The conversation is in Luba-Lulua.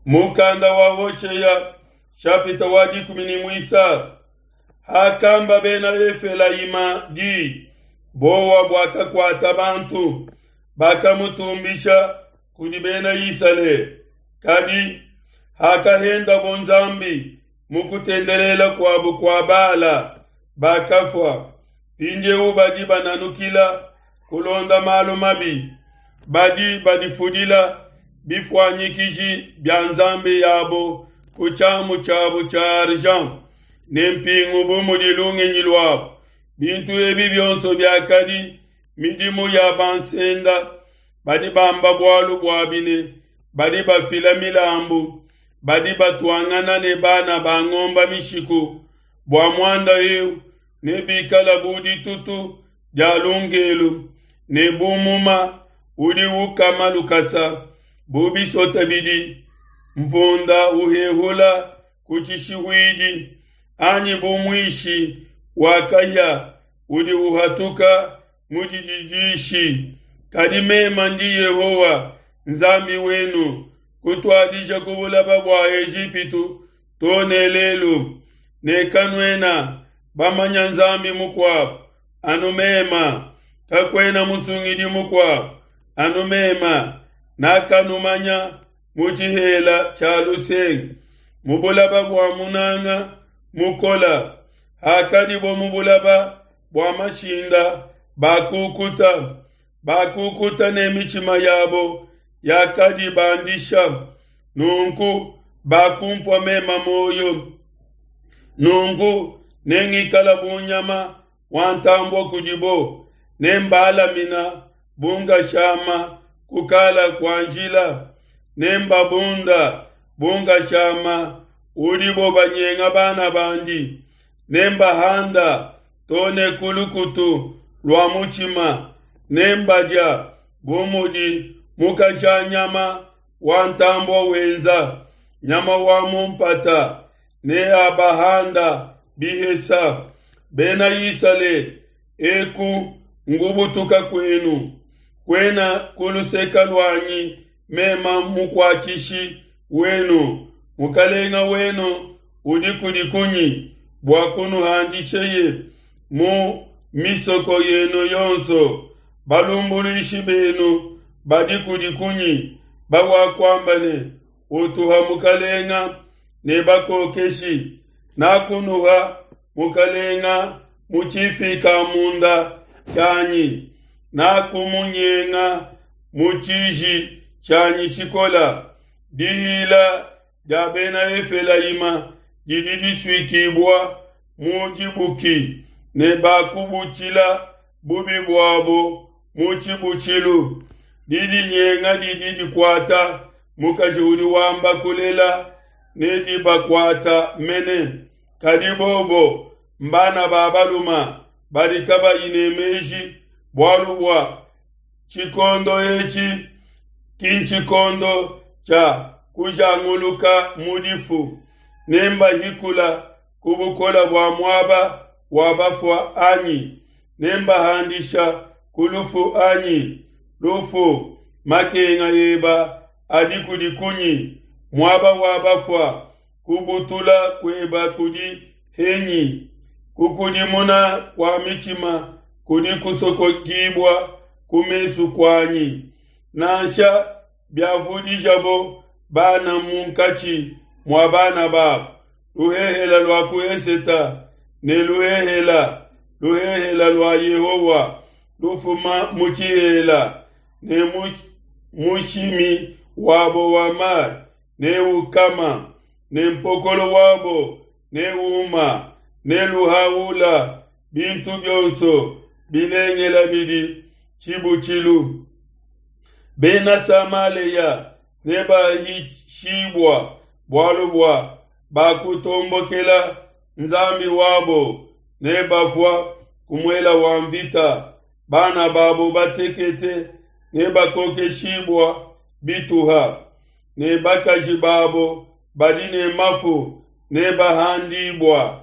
Mukanda wa Hoshea shapita wa 13. Hakamba bena Efelayima di, bowa buakakuata bantu, bakamutumbisha kudi bena Isalele. Kadi hakahendabo Nzambi mu kutendelela kuabo kua Bala, bakafua. Mpindieu badi bananukila kulonda malu mabi, badi badifudila bifuanyikiji bia nzambi yabo ku tshiamu tshiabo tshia argent ne mpingu bu mudi lungenyi luabo. Bintu ebi bionso biakadi midimu ya bansenda. Badi bamba bualu buabi ne badi bafila milambu, badi batuangana ne bana ba ngomba mishiku. Bua muanda eu nebikala bu ditutu dia lungelu ne bu muma udi ukama lukasa, bu bisota bidi mvunda uhehula ku tshishihuidi, anyi bu muishi wa kahia udi uhatuka mu dididishi. Kadi mema ndi Yehowa Nzambi wenu, kutuadija ku bulaba bua Ejipitu to ne lelu, ne kanuena bamanya Nzambi mukuabu anu mema, kakuena musungidi mukuabu anu mema. Nakanumanya mu tshihela tshia lusenga, mu bulaba bua munanga mukola. Hakadibo mu bulaba bua mashinda, bakukuta, bakukuta ne mitshima yabo yakadibandisha. Nunku bakumpua mema muoyo. Nunku nengikala bu nyama wa ntambue kudibo, nembalamina bu ngashama ku kala kua njila, nembabunda bu ngashama udibo banyenga bana bandi, nembahanda to ne ku lukutu lua mutshima, nembadia bu mudi mukasha nyama wa ntambue wenza, nyama wa mu mpata neabahanda bihesa. Bena Isalele, eku ngubutuka kuenu, kuena ku luseka luanyi mema mukuatshishi wenu, mukalenga wenu udi kudi kunyi bua kunuhandisheye mu misoko yenu yonso? Balumbuluishi benu badi kudi kunyi bawakuamba ne, Utuha mukalenga ne bakokeshi? Nakunuha mukalenga mu tshifikamunda tshianyi, nakumunyenga mu tshiji tshianyi tshikola. Dihila dia bena Efelayima didi disuikibua mu dibuki, ne bakubutshila bubi buabo mu tshibutshilu. Didinyenga didi dikuata mukaji udi wamba kulela, ne dibakuata mene. Kadi bobo mbana ba baluma badi kabayi ne meji, bualu bua tshikondo etshi ki ntshikondo tshia kujanguluka mu difu. Nembahikula ku bukole bua muaba wa bafua anyi? Nembahandisha ku lufu anyi? Lufu, makenga eba adi kudi kunyi? Muaba wa bafua, kubutula kueba kudi henyi? Kukudimuna kua mitshima kudi kusokokibua ku mesu kuanyi. Nansha biavudijabo bana munkatshi mua bana babo, luhehela lua ku eseta ne luhehela, luhehela lua Yehowa lufuma mu tshihela, ne mushimi wabo wa mai neukama, ne mpokolo wabo neuma, ne luhaula bintu bionso bilengela bidi tshibutshilu. Bena Samalea nebahishibua bualu bua bakutombokela Nzambi wabo, nebafua ku muela wa mvita. Bana babo batekete nebakokeshibua bituha, ne bakaji babo badi ne mafu nebahandibua.